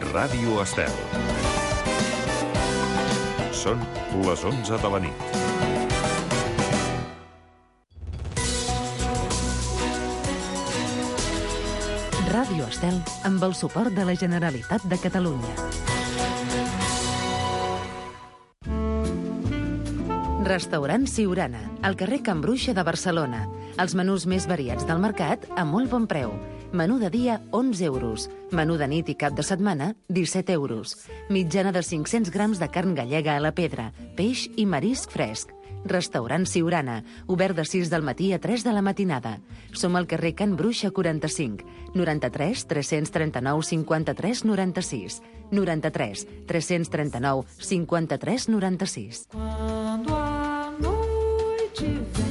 Ràdio Estel. Són les 11 de la nit. Ràdio Estel, amb el suport de la Generalitat de Catalunya. Restaurant Siurana, al carrer Can Bruixa de Barcelona. Els menús més variats del mercat a molt bon preu. Menú de dia, 11 euros. Menú de nit i cap de setmana, 17 euros. Mitjana de 500 grams de carn gallega a la pedra, peix i marisc fresc. Restaurant Siurana, obert de 6 del matí a 3 de la matinada. Som al carrer Can Bruixa 45, 93 339 53 96, 93 339 53 96. Quando a noite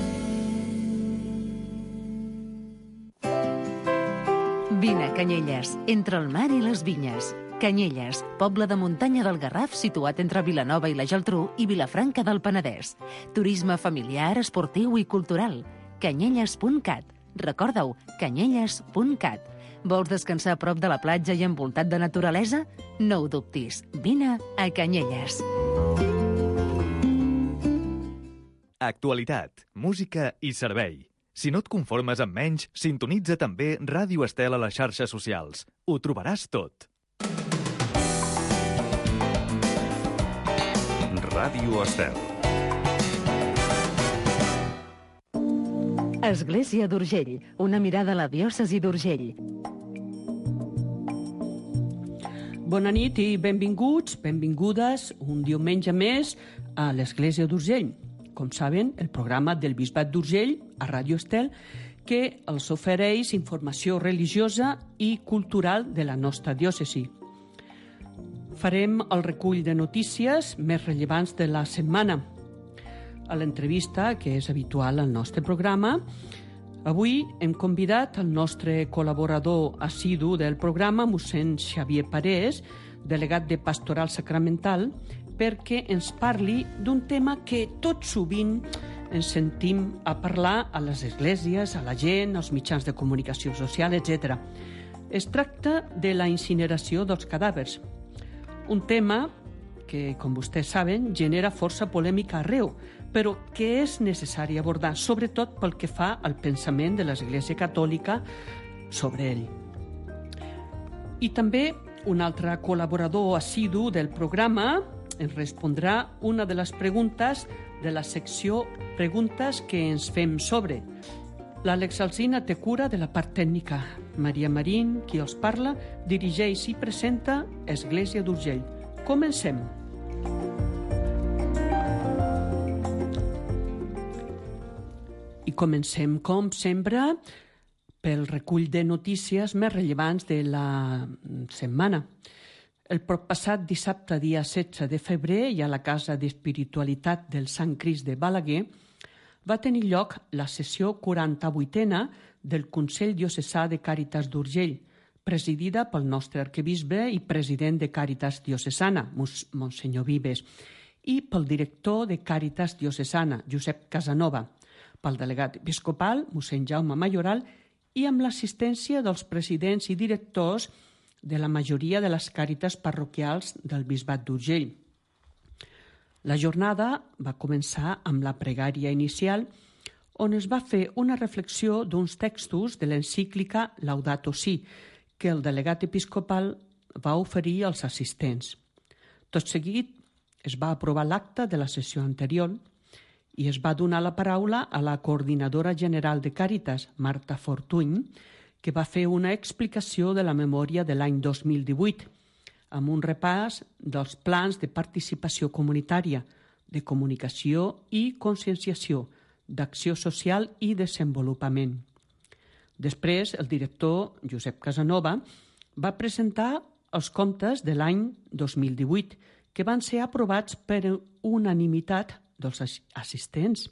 Vine a Canyelles, entre el mar i les vinyes. Canyelles, poble de muntanya del Garraf situat entre Vilanova i la Geltrú i Vilafranca del Penedès. Turisme familiar, esportiu i cultural. Canyelles.cat. Recorda-ho, canyelles.cat. Vols descansar a prop de la platja i envoltat de naturalesa? No ho dubtis. Vine a Canyelles. Actualitat, música i servei. Si no et conformes amb menys, sintonitza també Ràdio Estel a les xarxes socials. Ho trobaràs tot. Ràdio Estel. Església d'Urgell, una mirada a la diòcesi d'Urgell. Bona nit i benvinguts, benvingudes un diumenge més a l'Església d'Urgell. Com saben, el programa del Bisbat d'Urgell a Ràdio Estel que els ofereix informació religiosa i cultural de la nostra diòcesi. Farem el recull de notícies més rellevants de la setmana. A l'entrevista, que és habitual al nostre programa, avui hem convidat el nostre col·laborador assidu del programa, mossèn Xavier Parés, delegat de Pastoral Sacramental, perquè ens parli d'un tema que tot sovint ens sentim a parlar a les esglésies, a la gent, als mitjans de comunicació social, etc. Es tracta de la incineració dels cadàvers. Un tema que, com vostès saben, genera força polèmica arreu, però que és necessari abordar, sobretot pel que fa al pensament de l'Església Catòlica sobre ell. I també un altre col·laborador assidu del programa ens respondrà una de les preguntes de la secció Preguntes que ens fem sobre. L'Àlex Alsina té cura de la part tècnica. Maria Marín, qui els parla, dirigeix i presenta Església d'Urgell. Comencem. I comencem, com sempre, pel recull de notícies més rellevants de la setmana. El passat dissabte, dia 16 de febrer, i a la Casa d'Espiritualitat del Sant Crist de Balaguer, va tenir lloc la sessió 48a del Consell Diocesà de Càritas d'Urgell, presidida pel nostre arquebisbe i president de Càritas Diocesana, Monsenyor Vives, i pel director de Càritas Diocesana, Josep Casanova, pel delegat episcopal, mossèn Jaume Mayoral, i amb l'assistència dels presidents i directors de la majoria de les càritas parroquials del Bisbat d'Urgell. La jornada va començar amb la pregària inicial, on es va fer una reflexió d'uns textos de l'encíclica Laudato Si, que el delegat episcopal va oferir als assistents. Tot seguit es va aprovar l'acte de la sessió anterior i es va donar la paraula a la coordinadora general de Càritas, Marta Fortuny, que va fer una explicació de la memòria de l'any 2018, amb un repàs dels plans de participació comunitària, de comunicació i conscienciació, d'acció social i desenvolupament. Després, el director, Josep Casanova, va presentar els comptes de l'any 2018, que van ser aprovats per unanimitat dels assistents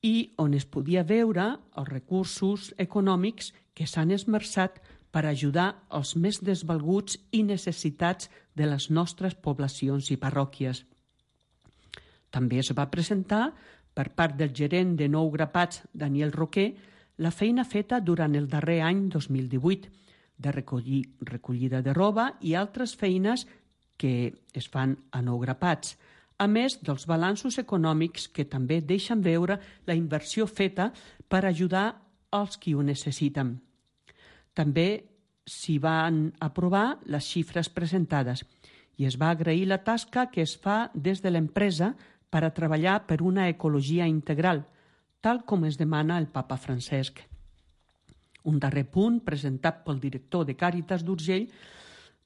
i on es podia veure els recursos econòmics que s'han esmerçat per ajudar els més desvalguts i necessitats de les nostres poblacions i parròquies. També es va presentar, per part del gerent de Nou Grapats, Daniel Roquer, la feina feta durant el darrer any 2018, de recollida de roba i altres feines que es fan a nou grapats, a més dels balanços econòmics que també deixen veure la inversió feta per ajudar als qui ho necessiten. També s'hi van aprovar les xifres presentades i es va agrair la tasca que es fa des de l'empresa per a treballar per una ecologia integral, tal com es demana el papa Francesc. Un darrer punt presentat pel director de Càritas d'Urgell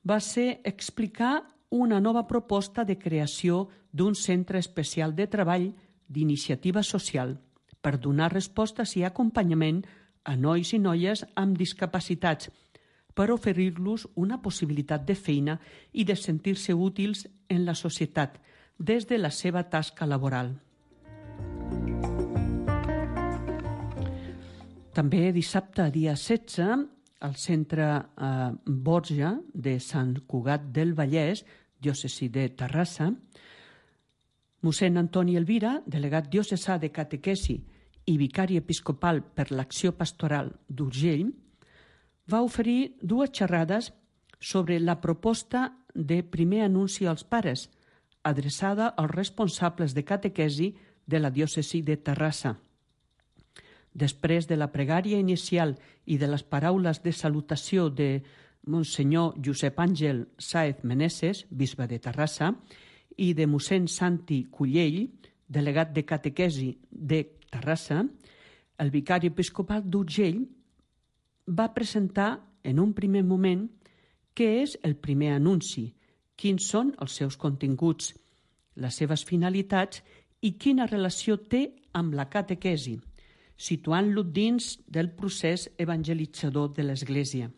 va ser explicar una nova proposta de creació d'un centre especial de treball d'iniciativa social per donar respostes i acompanyament a nois i noies amb discapacitats, per oferir-los una possibilitat de feina i de sentir-se útils en la societat des de la seva tasca laboral. També dissabte, dia 16, al centre Borja de Sant Cugat del Vallès, diòcesi de Terrassa, mossèn Antoni Elvira, delegat diocesà de catequesi i vicari episcopal per l'acció pastoral d'Urgell, va oferir 2 xerrades sobre la proposta de primer anunci als pares, adreçada als responsables de catequesi de la diòcesi de Terrassa. Després de la pregària inicial i de les paraules de salutació de Monsenyor Josep Àngel Sáez Meneses, bisbe de Terrassa, i de mossèn Santi Cullell, delegat de catequesi de Terrassa, el vicari episcopal d'Urgell va presentar en un primer moment què és el primer anunci, quins són els seus continguts, les seves finalitats i quina relació té amb la catequesi, situant-lo dins del procés evangelitzador de l'Església.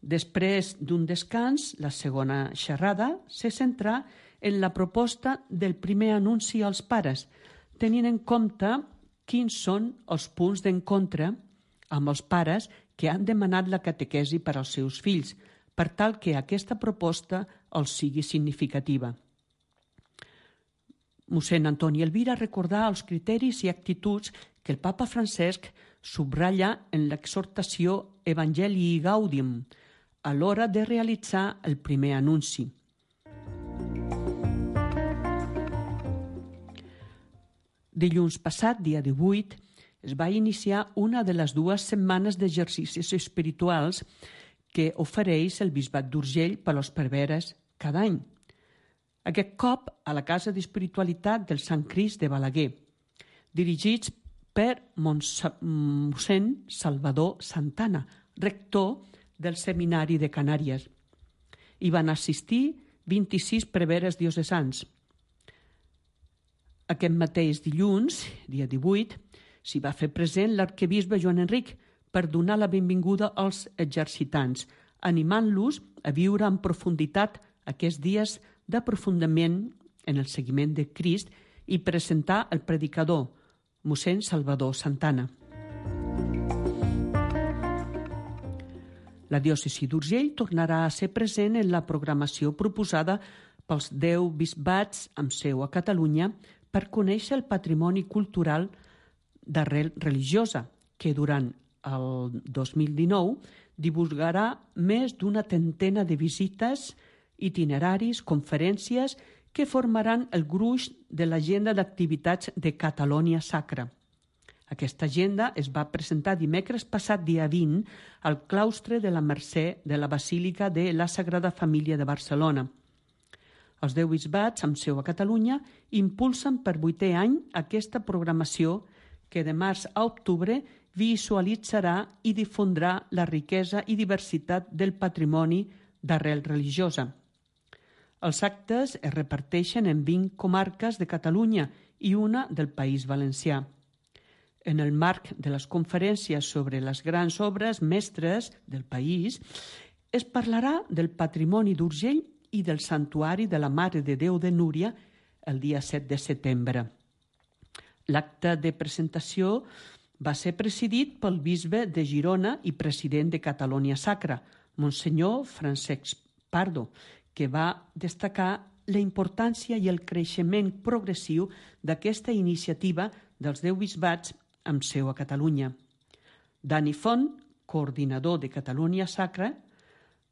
Després d'un descans, la segona xerrada se centrà en la proposta del primer anunci als pares, tenint en compte quins són els punts d'encontre amb els pares que han demanat la catequesi per als seus fills, per tal que aquesta proposta els sigui significativa. Mossèn Antoni Elvira recordà els criteris i actituds que el papa Francesc subratlla en l'exhortació Evangelii Gaudium a l'hora de realitzar el primer anunci. Dilluns passat, dia 18, es va iniciar una de les 2 setmanes d'exercicis espirituals que ofereix el Bisbat d'Urgell per als preveres cada any. Aquest cop a la Casa d'Espiritualitat del Sant Crist de Balaguer, dirigits per mossèn Salvador Santana, rector del Seminari de Canàries. Hi van assistir 26 preveres diocesans. Aquest mateix dilluns, dia 18, s'hi va fer present l'arquebisbe Joan Enric per donar la benvinguda als exercitants, animant-los a viure en profunditat aquests dies d'aprofundiment en el seguiment de Crist i presentar el predicador, mossèn Salvador Santana. La diòcesi d'Urgell tornarà a ser present en la programació proposada pels 10 bisbats amb seu a Catalunya per conèixer el patrimoni cultural d'arrel religiosa, que durant el 2019 divulgarà més d'una trentena de visites, itineraris, conferències que formaran el gruix de l'agenda d'activitats de Catalonia Sacra. Aquesta agenda es va presentar dimecres passat dia 20 al claustre de la Mercè de la Basílica de la Sagrada Família de Barcelona. Els 10 bisbats amb seu a Catalunya impulsen per 8è any aquesta programació que de març a octubre visualitzarà i difondrà la riquesa i diversitat del patrimoni d'arrel religiosa. Els actes es reparteixen en 20 comarques de Catalunya i una del País Valencià. En el marc de les conferències sobre les grans obres mestres del país, es parlarà del patrimoni d'Urgell i del Santuari de la Mare de Déu de Núria el dia 7 de setembre. L'acte de presentació va ser presidit pel bisbe de Girona i president de Catalonia Sacra, Monsenyor Francesc Pardo, que va destacar la importància i el creixement progressiu d'aquesta iniciativa dels 10 bisbats amb seu a Catalunya. Dani Font, coordinador de Catalunya Sacra,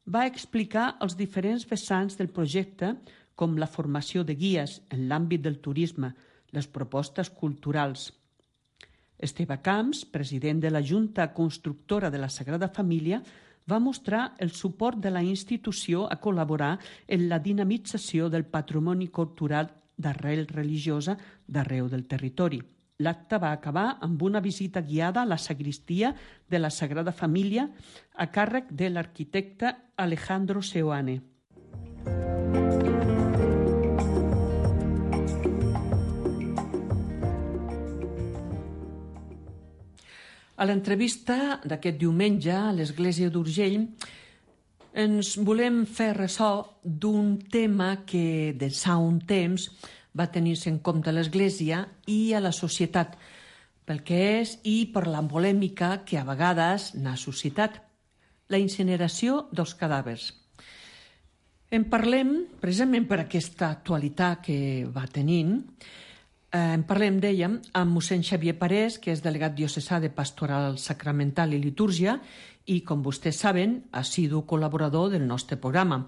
va explicar els diferents vessants del projecte, com la formació de guies en l'àmbit del turisme, les propostes culturals. Esteve Camps, president de la Junta Constructora de la Sagrada Família, va mostrar el suport de la institució a col·laborar en la dinamització del patrimoni cultural d'arrel religiosa d'arreu del territori. L'acte va acabar amb una visita guiada a la sagristia de la Sagrada Família a càrrec de l'arquitecte Alejandro Seoane. A l'entrevista d'aquest diumenge a l'Església d'Urgell ens volem fer ressò d'un tema que d'ençà un temps va tenir-se en compte a l'Església i a la societat, pel que és i per la polèmica que a vegades n'ha suscitat, la incineració dels cadàvers. En parlem, precisament per aquesta actualitat que va tenint, en parlem, dèiem, amb mossèn Xavier Parés, que és delegat diocesà de Pastoral Sacramental i Litúrgia i, com vostès saben, assidu col·laborador del nostre programa.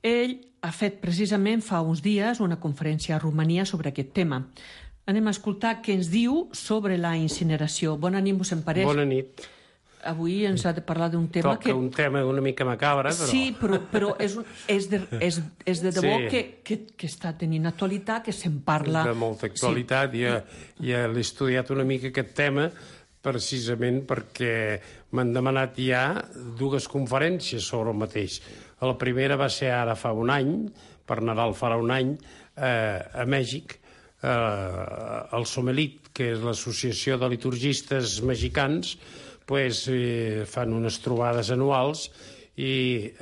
Ell ha fet precisament fa uns dies una conferència a Romania sobre aquest tema. Anem a escoltar què ens diu sobre la incineració. Bona nit, mossèn Parés. Bona nit. Avui ens ha de parlar d'un tema Toca un tema una mica macabre, però... Sí, però és de debò que està tenint actualitat, que se'n parla... De molta actualitat. Sí. Ja l'he estudiat una mica aquest tema precisament perquè m'han demanat ja dues conferències sobre el mateix. La primera va ser ara fa un any, per Nadal farà un any, a Mèxic, el Somelit, que és l'associació de liturgistes mexicans, fan unes trobades anuals i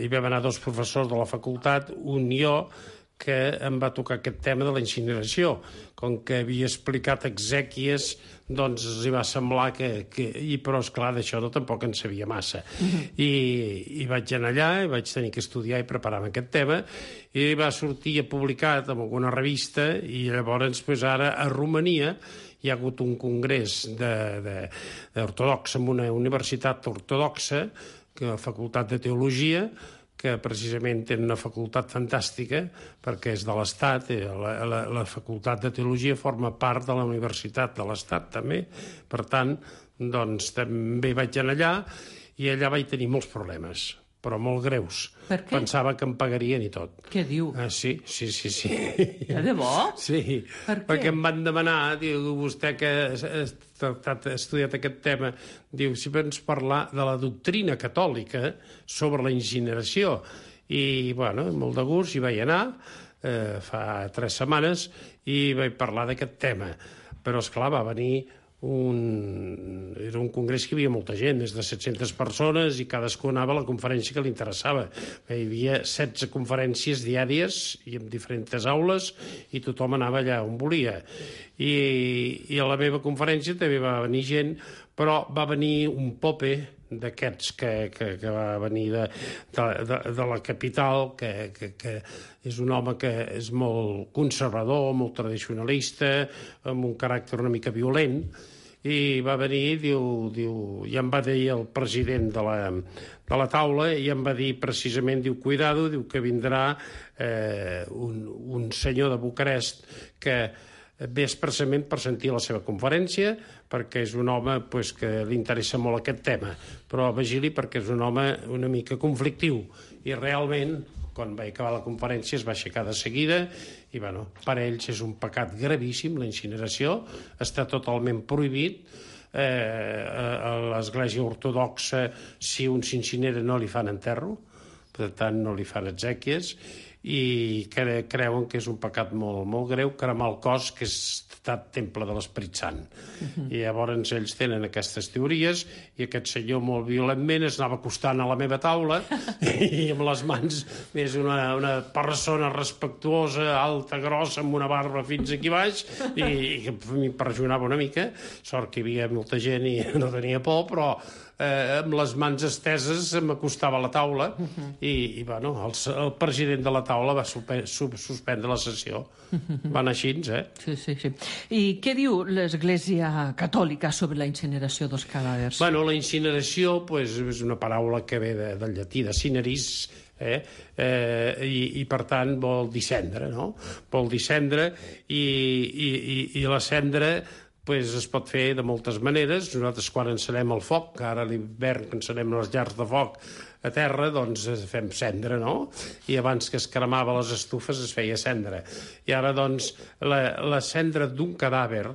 vam anar dos professors de la facultat, un i jo, que em va tocar aquest tema de la incineració. Com que havia explicat exèquies, doncs els hi va semblar però, esclar, d'això tampoc en sabia massa. I vaig anar allà, i vaig tenir que estudiar i preparar aquest tema, i va sortir publicat en alguna revista, i llavors, ara, a Romania, hi ha hagut un congrés ortodox en una universitat ortodoxa, la Facultat de Teologia, que precisament té una facultat fantàstica, perquè és de l'Estat, la Facultat de Teologia forma part de la Universitat de l'Estat, també. Per tant, doncs, també vaig anar allà, i allà vaig tenir molts problemes, però molt greus. Per què? Pensava que em pagarien i tot. Què diu? Sí. De debò? Sí, per què? Perquè em van demanar, diu, vostè que ha estudiat aquest tema, diu, si pots parlar de la doctrina catòlica sobre la incineració. I, bueno, molt de gust, hi vaig anar, fa 3 setmanes, i vaig parlar d'aquest tema. Però, esclar, va venir era un congrés que hi havia molta gent, més de 700 persones, i cadascú anava a la conferència que li interessava. Hi havia 16 conferències diàries i en diferents aules, i tothom anava allà on volia. I a la meva conferència també va venir gent, però va venir un pope d'aquests que va venir de la capital, que és un home que és molt conservador, molt tradicionalista, amb un caràcter una mica violent, i va venir, i em va dir el president de la taula, i em va dir precisament, cuidado, que vindrà un senyor de Bucarest que ve expressament per sentir la seva conferència, perquè és un home que li interessa molt aquest tema, però vigili perquè és un home una mica conflictiu, i realment, quan va acabar la conferència, es va aixecar de seguida, i per ells és un pecat gravíssim, la incineració, està totalment prohibit. A l'Església Ortodoxa, si un s'incinera no li fan enterro, per tant no li fan exèquies, i creuen que és un pecat molt, molt greu cremar el cos, que és estat temple de l'Esperit Sant. I llavors ells tenen aquestes teories, i aquest senyor molt violentment es anava acostant a la meva taula, i amb les mans, és una persona respectuosa, alta, grossa, amb una barba fins aquí baix, i m'impressionava una mica. Sort que hi havia molta gent i no tenia por, però amb les mans esteses m'acostava a la taula i bueno, el president de la taula va suspendre la sessió. Va anar així, Sí. I què diu l'Església Catòlica sobre la incineració dels cadàvers? Bueno, la incineració és una paraula que ve del llatí, de cineris, i per tant vol dissendre, no? Vol dissendre i la cendra es pot fer de moltes maneres. Nosaltres quan encenem el foc, que ara a l'hivern que encenem les llars de foc a terra, doncs fem cendra, no? I abans que es cremava les estufes es feia cendra. I ara, doncs, la cendra d'un cadàver,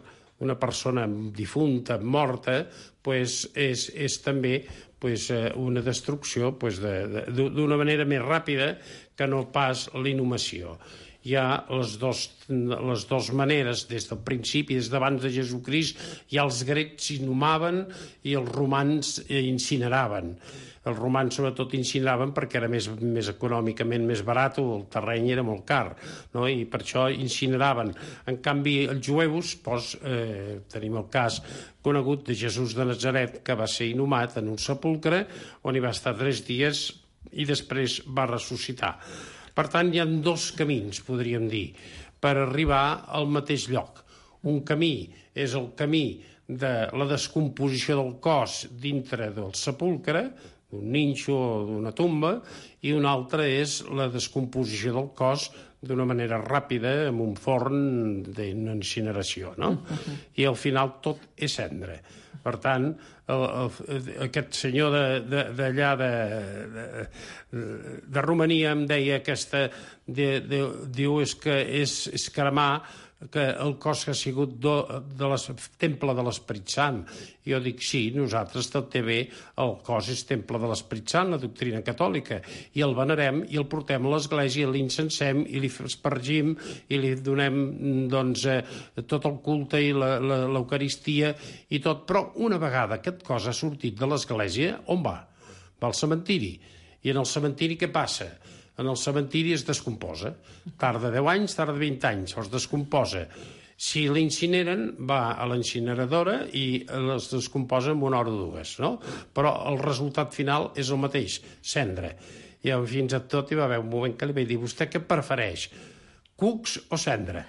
una persona difunta, morta, és també una destrucció d'una manera més ràpida que no pas l'inhumació. Hi ha les dues maneres, des del principi, des d'abans de Jesucrist, ja els grecs inhumaven i els romans incineraven. Els romans sobretot incineraven perquè era més econòmicament més barat, el terreny era molt car, no? I per això incineraven. En canvi, els jueus, tenim el cas conegut de Jesús de Nazaret, que va ser inhumat en un sepulcre on hi va estar 3 dies i després va ressuscitar. Per tant, hi ha 2 camins, podríem dir, per arribar al mateix lloc. Un camí és el camí de la descomposició del cos dintre del sepulcre, d'un ninxo o d'una tomba, i un altre és la descomposició del cos d'una manera ràpida amb un forn d'una incineració, no? I al final tot és cendra. Per tant, aquest senyor d'allà de Romania em deia diu que és cremar que el cos que ha sigut temple de l'Esperit Sant. Jo dic, sí, nosaltres també el cos és temple de l'Esperit Sant, la doctrina catòlica, i el venerem i el portem a l'església, l'incensem i li espargim i li donem tot el culte i l'eucaristia i tot. Però una vegada aquest cos ha sortit de l'església, on va? Va al cementiri. I en el cementiri què passa? En el cementiri es descomposa. Tarda 10 anys, tarda 20 anys, es descomposa. Si l'incineren, va a l'incineradora i es descomposa en 1 hora o 2, no? Però el resultat final és el mateix, cendra. I fins a tot hi va haver un moment que li vaig dir, vostè què prefereix? Cucs o cendra?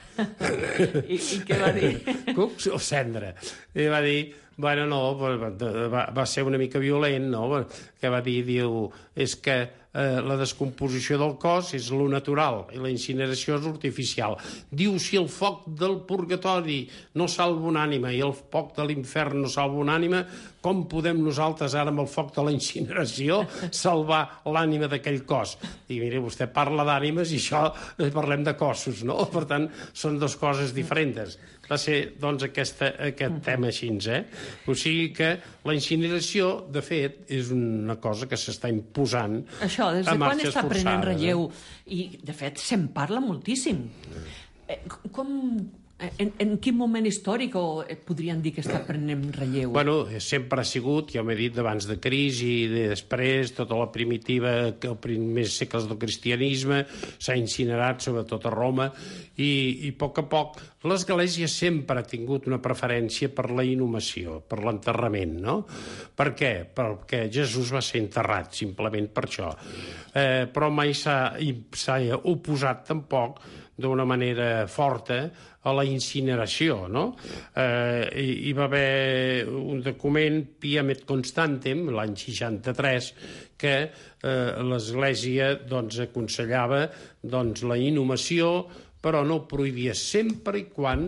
I què va dir? Cucs o cendra? I va dir, bueno, no, va ser una mica violent, no? Que va dir, és que la descomposició del cos és lo natural i la incineració és artificial. Diu, si el foc del purgatori no salva una ànima i el foc de l'infern no salva una ànima, com podem nosaltres ara amb el foc de la incineració salvar l'ànima d'aquell cos? I mira, vostè parla d'ànimes i això parlem de cossos, no? Per tant, són 2 coses diferents. Va ser, doncs, aquest tema així, O sigui que la incineració, de fet, és una cosa que s'està imposant. Això, des de quan està prenent relleu? I, de fet, se'n parla moltíssim. En quin moment històric podrien dir que està prenent relleu? Bueno, sempre ha sigut, ja m'he dit, d'abans de Crist i després, tota la primitiva, els primers segles del cristianisme, s'ha incinerat, sobretot a Roma, i a poc l'Església sempre ha tingut una preferència per la inhumació, per l'enterrament, no? Per què? Perquè Jesús va ser enterrat, simplement per això. Però mai s'ha oposat tampoc d'una manera forta a la incineració, no? Hi va haver un document, Piam et Constantem, l'any 63, que l'Església aconsellava la inhumació, però no prohibia, sempre i quan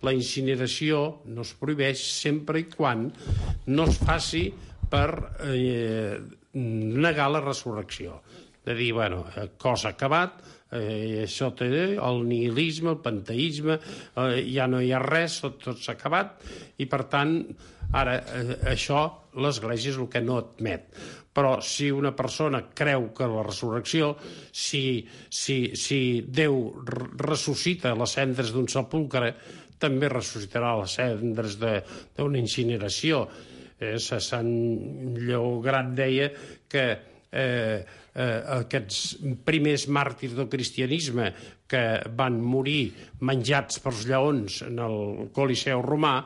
la incineració no es prohibeix, sempre i quan no es faci per negar la resurrecció. De dir, bueno, cos acabat, això té el nihilisme, el panteisme, ja no hi ha res, tot s'ha acabat, i per tant, ara, això l'Església és el que no admet. Però si una persona creu que la resurrecció, si Déu ressuscita les cendres d'un sepulcre, també ressuscitarà les cendres d'una incineració. Sant Lleó Gran deia que aquests primers màrtirs del cristianisme que van morir menjats pels lleons en el Coliseu romà,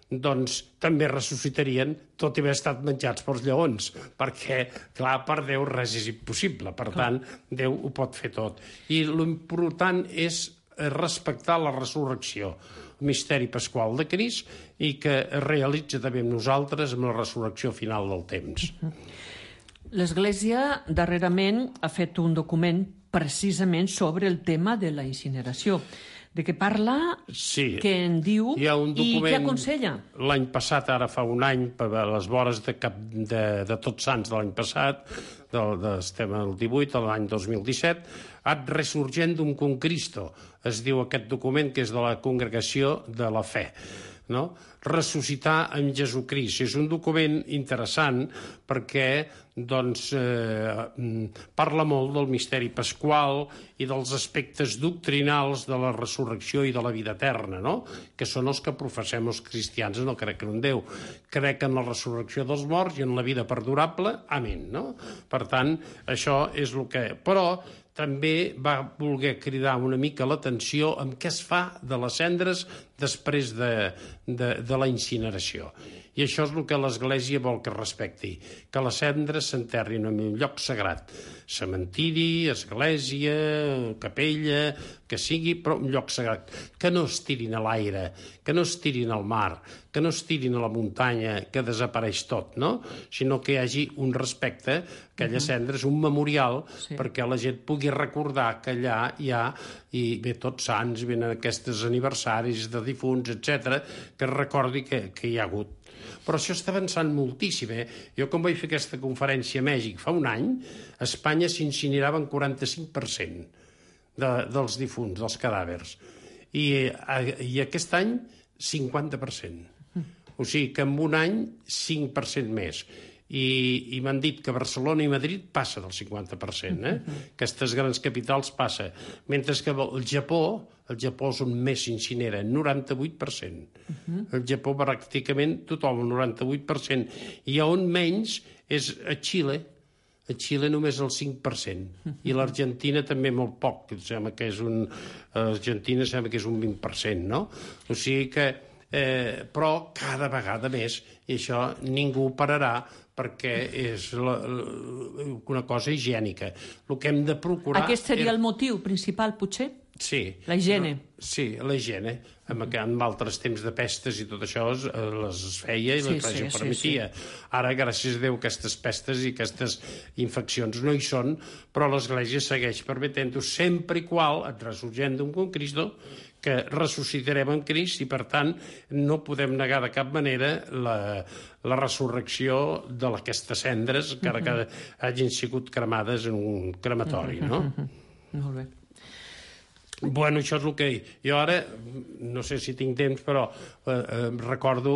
doncs també ressuscitarien tot i haver estat menjats pels lleons, perquè, clar, per Déu res és impossible, per tant, Déu ho pot fer tot. I l'important és respectar la resurrecció, el misteri pasqual de Crist, i que es realitza també amb nosaltres amb la resurrecció final del temps. L'Església darrerament ha fet un document precisament sobre el tema de la incineració. De què parla, Sí. què en diu Hi ha un i què document aconsella? l'any passat, ara fa un any, a les vores de Tots Sants de l'any passat, estem al 18, l'any 2017, Ad Resurgendum cum Cristo, es diu aquest document, que és de la Congregació de la Fe, no? Ressuscitar amb Jesucrist. És un document interessant perquè doncs, parla molt del misteri pasqual i dels aspectes doctrinals de la resurrecció i de la vida eterna, no? Que són els que professem els cristians. No crec en un Déu, crec en la resurrecció dels morts i en la vida perdurable. Amén, no? Per tant, això és el que... Però també va voler cridar una mica l'atenció amb què es fa de les cendres després de la incineració. I això és el que l'Església vol que es respecti, que les cendres s'enterrin en un lloc sagrat, cementiri, església, capella, que sigui, però un lloc sagrat, que no es tirin a l'aire, que no es tirin al mar, que no es tirin a la muntanya, que desapareix tot, no? Sinó que hi hagi un respecte, aquella cendra és un memorial perquè la gent pugui recordar que allà hi ha, i ve Tots Sants, venen aquests aniversaris de difunts, etc, que es recordi que hi ha hagut. Però això està avançant moltíssim, Jo, quan vaig fer aquesta conferència a Mèxic fa un any, a Espanya s'incineraven 45% dels difunts, dels cadàvers. I aquest any, 50%. O sigui que en un any, 5% més. I m'han dit que Barcelona i Madrid passa del 50%, Aquestes grans capitals passa. Mentre que el Japó és on més s'incinera, 98%. El Japó pràcticament tothom, el 98%. I on menys és a Xile. A Xile només el 5%. I l'Argentina també molt poc. L'Argentina sembla que és un 20%, no? O sigui que... però cada vegada més, i això ningú pararà, perquè és una cosa higiènica. El que hem de procurar... Aquest seria el motiu principal, potser? Sí. La higiene. Sí, la higiene. En altres temps de pestes i tot això les feia i l'Església ho permetia. Ara, gràcies a Déu, aquestes pestes i aquestes infeccions no hi són, però l'Església segueix permetent-ho sempre i qual et resurgendum con Cristo, que ressuscitarem en Crist i, per tant, no podem negar de cap manera la resurrecció d'aquestes cendres, encara que hagin sigut cremades en un crematori, no? Molt bé. Bueno, això és el que... Jo ara, no sé si tinc temps, però recordo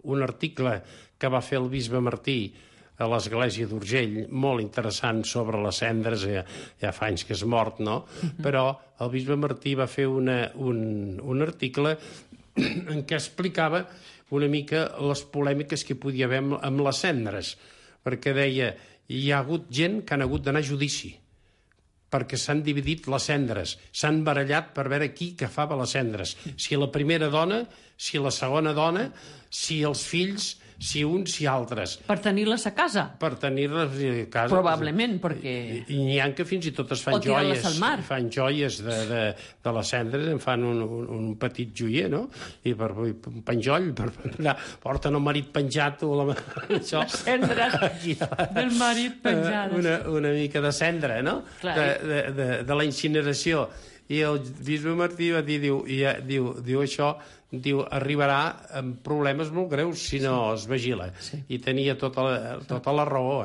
un article que va fer el bisbe Martí a l'església d'Urgell, molt interessant sobre les cendres, ja fa anys que és mort, no? Però el bisbe Martí va fer un article en què explicava una mica les polèmiques que hi podia haver amb les cendres, perquè deia, hi ha hagut gent que han hagut d'anar a judici, perquè s'han dividit les cendres, s'han barallat per veure qui agafava les cendres, si la primera dona, si la segona dona, si els fills, si uns si altres. Per tenir-les a casa? Per tenir-les a casa. Probablement, perquè... I n'hi ha que fins i tot es fan joies. Fan joies de les cendres, en fan un petit joier, no? I un penjoll, porten el marit penjat o les cendres del marit penjades. Una mica de cendra, no? De la incineració. I el bisbe Martí va dir, diu això, arribarà amb problemes molt greus si no es vigila. I tenia tota la raó,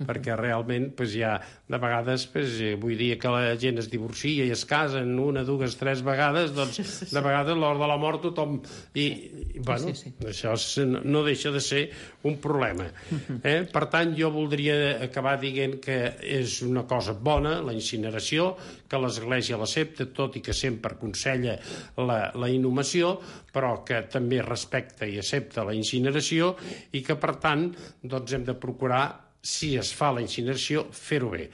perquè realment hi ha de vegades, vull dir que la gent es divorcia i es casen una, dues, tres vegades, doncs de vegades a l'hora de la mort tothom... I bueno, això no deixa de ser un problema. Per tant, jo voldria acabar dient que és una cosa bona, la incineració, que l'Església l'accepta, tot i que sempre aconsella la inhumació, però que també respecta i accepta la incineració i que, per tant, doncs hem de procurar si es fa la incineració, fer-ho bé.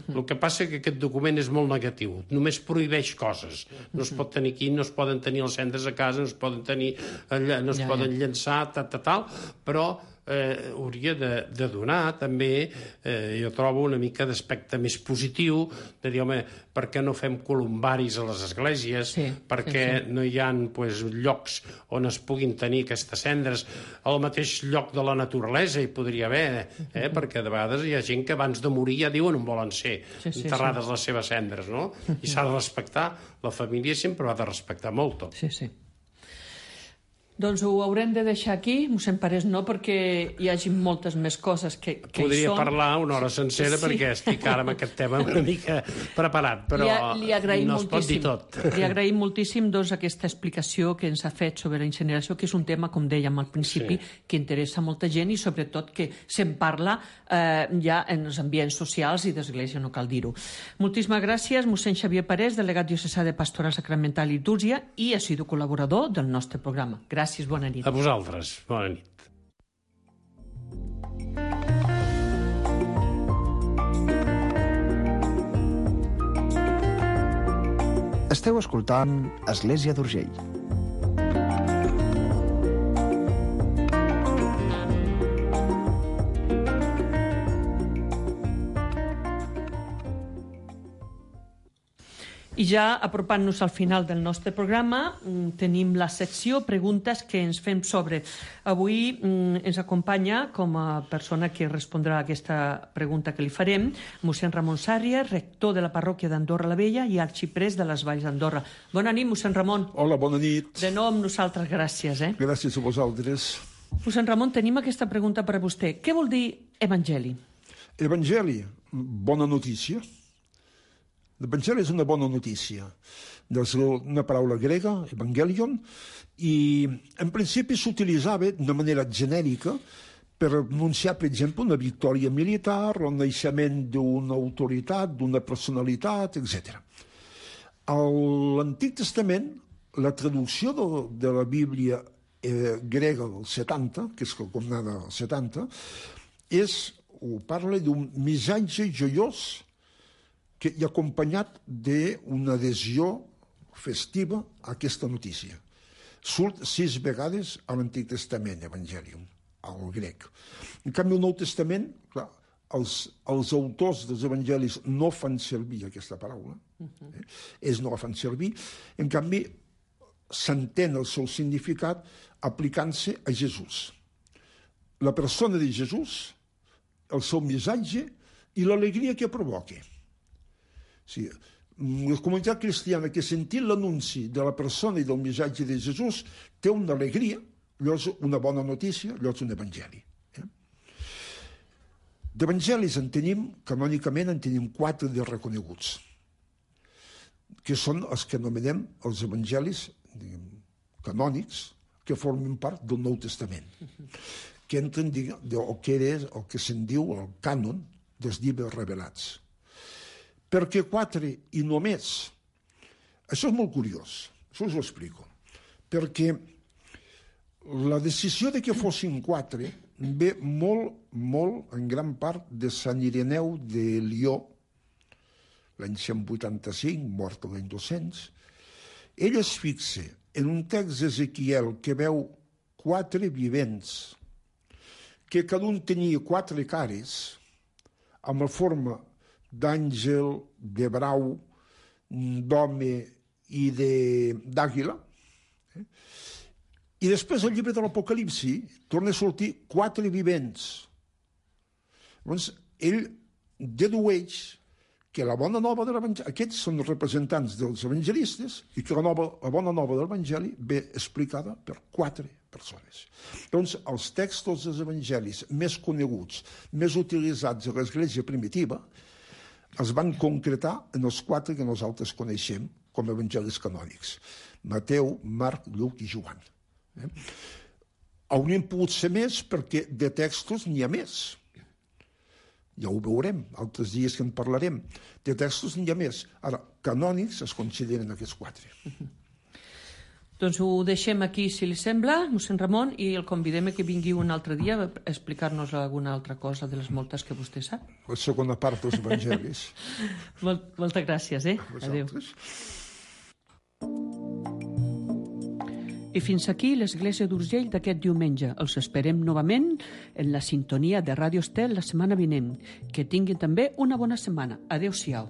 El que passa que aquest document és molt negatiu, només prohibeix coses. No es pot tenir aquí, no es poden tenir les cendres a casa, no es poden tenir allà, no es poden llançar, tal, però hauria de donar també, jo trobo una mica d'aspecte més positiu, de dir, home, per què no fem columbaris a les esglésies, perquè no hi ha llocs on es puguin tenir aquestes cendres al mateix lloc de la naturalesa, hi podria haver, perquè de vegades hi ha gent que abans de morir ja diuen on volen ser enterrades les seves cendres, no? I s'ha de respectar, la família sempre ho ha de respectar molt. Sí. Doncs ho haurem de deixar aquí, mossèn Parés, no perquè hi hagi moltes més coses que hi són. Podria parlar una hora sencera perquè estic ara amb aquest tema una mica preparat, però no es pot dir tot. Li agraïm moltíssim aquesta explicació que ens ha fet sobre la incineració, que és un tema, com dèiem al principi, que interessa molta gent i sobretot que se'n parla ja en els ambients socials i d'església, no cal dir-ho. Moltíssimes gràcies, mossèn Xavier Parés, delegat diocesà de Pastoral Sacramental i Litúrgia i assidu col·laborador del nostre programa. Gràcies, bona nit. A vosaltres, bona nit. Esteu escoltant Església d'Urgell. I ja apropant-nos al final del nostre programa, tenim la secció Preguntes que ens fem sobre. Avui ens acompanya, com a persona que respondrà a aquesta pregunta que li farem, mossèn Ramon Sàrria, rector de la parròquia d'Andorra la Vella i arxiprés de les Valls d'Andorra. Bona nit, mossèn Ramon. Hola, bona nit. De nou amb nosaltres, gràcies. Gràcies a vosaltres. Mossèn Ramon, tenim aquesta pregunta per a vostè. Què vol dir evangeli? Evangeli, bona notícia. L'Evangeli és una bona notícia. És una paraula grega, evangelion, i en principi s'utilitzava de manera genèrica per anunciar, per exemple, una victòria militar o el naixement d'una autoritat, d'una personalitat, etc. A l'Antic Testament, la traducció de la Bíblia grega del 70, que és com anava al 70, parla d'un missatge joiós que hi ha acompanyat d'una adhesió festiva a aquesta notícia. Surt 6 vegades a l'Antic Testament, Evangelium, al grec. En canvi, al Nou Testament, clar, els autors dels evangelis no fan servir aquesta paraula, ells no la fan servir, en canvi, s'entén el seu significat aplicant-se a Jesús. La persona de Jesús, el seu missatge i l'alegria que provoca. Sí, la comunitat cristiana que sentint l'anunci de la persona i del missatge de Jesús té una alegria, allò és una bona notícia, allò és un evangeli. D'evangelis canònicament en tenim 4 de reconeguts, que són els que anomenem els evangelis canònics que formen part del Nou Testament, que entren el que se'n diu el cànon dels llibres revelats. Per què 4 i no més? Això és molt curiós, això us ho explico. Perquè la decisió de que fossin 4 ve molt, molt, en gran part, de Sant Ireneu de Lió, l'any 185, mort l'any 200. Ell es fixa en un text d'Ezequiel que veu 4 vivents, que cada un tenia 4 cares, amb la forma d'àngel, de brau, d'home i d'àguila. I després al llibre de l'Apocalipsi torna a sortir 4 vivents. Llavors, ell dedueix que la bona nova de l'Evangeli, aquests són els representants dels evangelistes, i que la bona nova de l'Evangeli ve explicada per 4 persones. Doncs els textos dels evangelis més coneguts, més utilitzats a l'Església primitiva, es van concretar en els 4 que nosaltres coneixem com a evangelis canònics: Mateu, Marc, Lluc i Joan. Haurien pogut ser més perquè de textos n'hi ha més. Ja ho veurem, altres dies que en parlarem. De textos n'hi ha més. Ara, canònics es consideren aquests 4. Doncs ho deixem aquí, si li sembla, mossèn Ramon, i el convidem que vingui un altre dia a explicar-nos alguna altra cosa de les moltes que vostè sap. La segona part dels evangelis. Moltes gràcies, Adéu. I fins aquí l'Església d'Urgell d'aquest diumenge. Els esperem novament en la sintonia de Ràdio Estel la setmana vinent. Que tinguin també una bona setmana. Adéu-siau.